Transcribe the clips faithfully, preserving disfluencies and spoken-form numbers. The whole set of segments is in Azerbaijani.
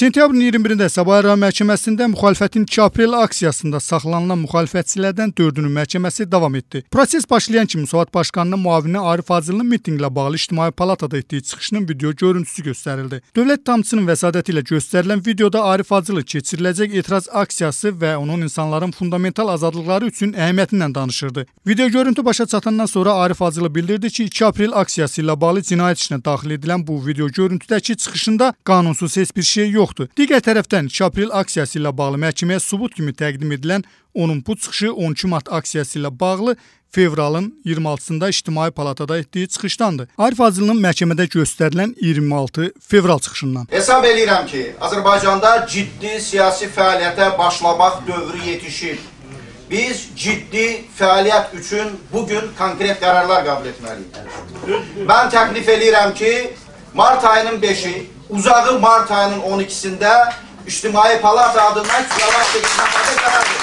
Sentyabrın iyirmi birində Sabah Rayon Məhkəməsində müxalifətin iki aprel aksiyasında saxlanılan müxalifətçilərdən dördünün məhkəməsi davam etdi. Proses başlayan kimi Müsavat Başkanının müavini Arif Hacılının mitinqlə bağlı İctimai Palatada etdiyi çıxışının video görüntüsü göstərildi. Dövlət ittihamçısının vəsadəti ilə göstərilən videoda Arif Hacılı keçiriləcək etiraz aksiyası və onun insanların fundamental azadlıqları üçün əhəmiyyətindən danışırdı. Video görüntü başa çatandan sonra Arif Hacılı bildirdi ki, iki aprel aksiyası ilə bağlı cinayət işinə daxil edilən bu video görüntüdəki çıxışında qanunsuz heç bir şey yoxdur. Digər tərəfdən iki aprel aksiyası ilə bağlı məhkəməyə sübut kimi təqdim edilən onun bu çıxışı on iki mart aksiyası ilə bağlı fevralın iyirmi altısında İctimai Palatada etdiyi çıxışdandır. Arif Hacılının məhkəmədə göstərilən iyirmi altı fevral çıxışından. Hesab edirəm ki, Azərbaycanda ciddi siyasi fəaliyyətə başlamaq dövrü yetişir. Biz ciddi fəaliyyət üçün bugün konkret qərarlar qəbul etməliyik. Mən təklif edirəm ki, mart ayının beşi, uzağı mart ayının on ikisində İctimai Palata adından cavab verilməyə qərar verir.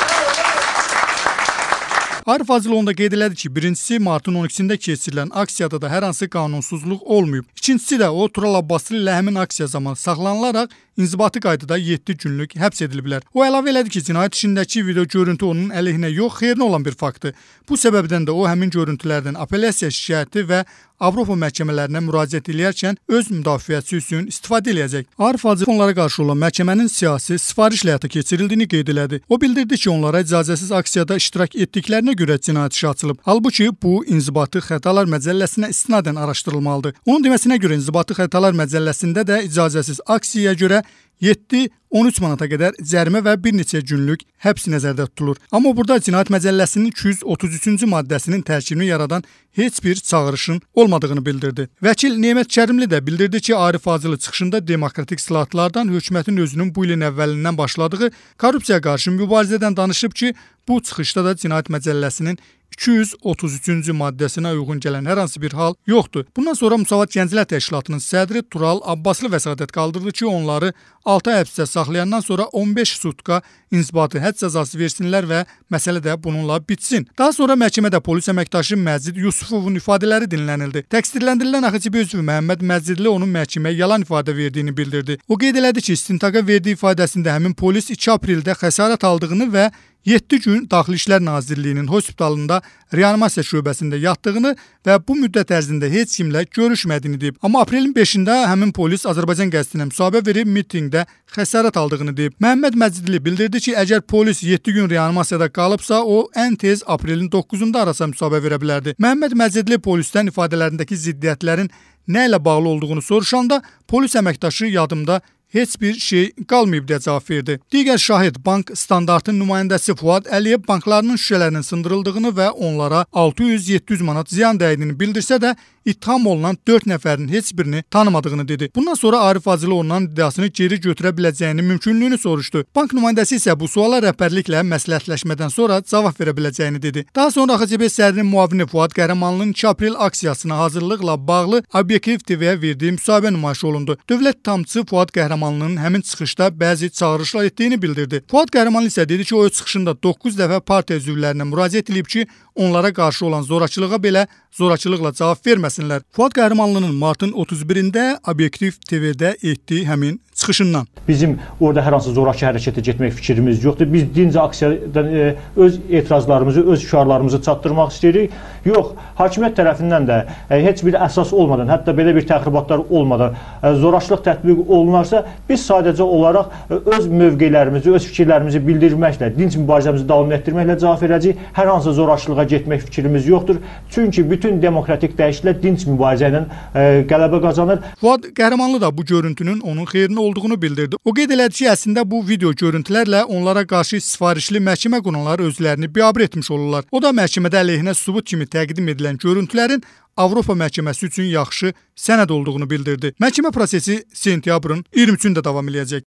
Arif Hacılı onda qeyd elədi ki, birincisi martın on ikisində keçirilən aksiyada da hər hansı qanunsuzluq olmayıb. İkincisi də o Tural Abbaslı ilə həmin aksiya zamanı saxlanılaraq inzibati qaydada yeddi günlük həbs edilib bilər. O əlavə elədi ki, cinayət işindəki video görüntü onun əleyhinə yox, xeyrinə olan bir faktdır. Bu səbəbdən də o həmin görüntülərdən apellyasiya şikayəti və Avropa məhkəmələrinə müraciət edərkən öz müdafiəsi üçün istifadə edəcək. Arif Hacılı onlara qarşı olan məhkəmənin siyasi sifarişlə həyata keçirildiyini qeyd elədi. O bildirdi ki, onlara icazəsiz aksiyada iştirak etdiklərinə görə cinayət işi açılıb. Halbuki bu İnzibati Xətalar Məcəlləsinə istinadən araşdırılmalıdır. Onun deməsinə görə İnzibati Xətalar Məcəlləsində də icazəsiz aksiyaya görə yeddi on üç manata qədər cərimə və bir neçə günlük həbs nəzərdə tutulur. Amma burada Cinayət Məcəlləsinin iki yüz otuz üçüncü maddəsinin tərkibini yaradan heç bir çağırışın olmadığını bildirdi. Vəkil Nemət Kərimli də bildirdi ki, Arif Hacılı çıxışında demokratik islahatlardan hökumətin özünün bu ilin əvvəlindən başladığı korrupsiyaya qarşı mübarizədən danışıb ki, bu çıxışda da Cinayət Məcəlləsinin iki yüz otuz üçüncü maddəsinə uyğun gələn hər hansı bir hal yoxdur. Bundan sonra Müsavat Gənclər Təşkilatının sədri Tural Abbaslı vəsadət qaldırdı ki, onları altı ay həbsdə saxlayandan sonra on beş sutka inzibati həbs cəzası versinlər və məsələ də bununla bitsin. Daha sonra məhkəmədə polis əməkdaşı Məzid Yusufovun ifadələri dinlənildi. Təqsirləndirilən AXCB üzvü Məhəmməd Məzidli onun məhkəməyə yalan ifadə verdiyini bildirdi. O qeyd elədi ki, istintaqa verdiyi ifadəsində həmin polis iki apreldə xəsarət aldığını və yeddi gün Daxili İşlər Nazirliyinin hospitalında reanimasiya şöbəsində yatdığını və bu müddət ərzində heç kimlə görüşmədiyini deyib. Amma aprelin beşində həmin polis Azərbaycan qəzetinə müsahibə verib mitinqdə xəsarət aldığını deyib. Məhəmməd Məcidli bildirdi ki, əgər polis yeddi gün reanimasiyada qalıbsa, o ən tez aprelin doqquzunda arasa müsahibə verə bilərdi. Məhəmməd Məcidli polisdən ifadələrindəki ziddiyyətlərin nə ilə bağlı olduğunu soruşanda polis əməkdaşı yadımda heç bir şey qalmayıb deyə cavab verdi. Digər şahid bank standartın nümayəndəsi Fuad Əliyev banklarının şüşələrinin sındırıldığını və onlara altı yüz yeddi yüz manat ziyan dəydiyini bildirsə də ittiham olunan dörd nəfərin heç birini tanımadığını dedi. Bundan sonra Arif Hacılı ondan iddiasını geri götürə biləcəyini mümkünlüyünü soruşdu. Bank nümayəndəsi isə bu suala rəhbərliklə məsləhətləşmədən sonra cavab verə biləcəyini dedi. Daha sonra AXCB sədrinin müavini Fuad Qəhrəmanlının iki aprel aksiyasına hazırlıqla bağlı Obyektiv T V-yə verdiyi müsahibə nümayiş olundu. Dövlət ittihamçısı Fuad Qəhrəmanlının həmin çıxışda bəzi çağırışlar etdiyini bildirdi. Fuad Qəhrəmanlı isə dedi ki, o öz çıxışında doqquz dəfə partiya üzvlərinə müraciət edib ki, onlara qarşı olan zorakılığa belə zorakılıqla cavab verməsinlər. Fuad Qəhrəmanlının martın otuz birində Obyektiv T V-də etdiyi həmin çıxışından. Bizim orada hər hansı zorakı hərəkətə getmək fikrimiz yoxdur. Biz dinc aksiyadan e, öz etirazlarımızı, öz şüarlarımızı çatdırmaq istəyirik. Yox, hakimiyyət tərəfindən də e, heç bir əsas olmadan, hətta belə bir təxribatlar olmadan e, zorakılıq tətbiq olunarsa, biz sadəcə olaraq e, öz mövqelərimizi, öz fikirlərimizi bildirməklə, dinc mübarizəmizi davam etdirməklə cavab verəcəyik. Hər hansı zorakılığa getmək fikrimiz yoxdur. Çünki bütün demokratik dəyişikliklər dinc mübarizə ilə e, qələbə qazanır. Fuad Qəhrəmanlı da bu görüntünün onun xeyrinə olduğunu bildirdi. O qeyd elədi ki, əslində bu video görüntülərlə onlara qarşı sifarişli məhkəmə qurumları özlərini biabır etmiş olurlar. O da məhkəmədə əleyhinə sübut kimi təqdim edilən görüntülərin Avropa məhkəməsi üçün yaxşı sənəd olduğunu bildirdi. Məhkəmə prosesi sentyabrın iyirmi üçündə davam edəcək.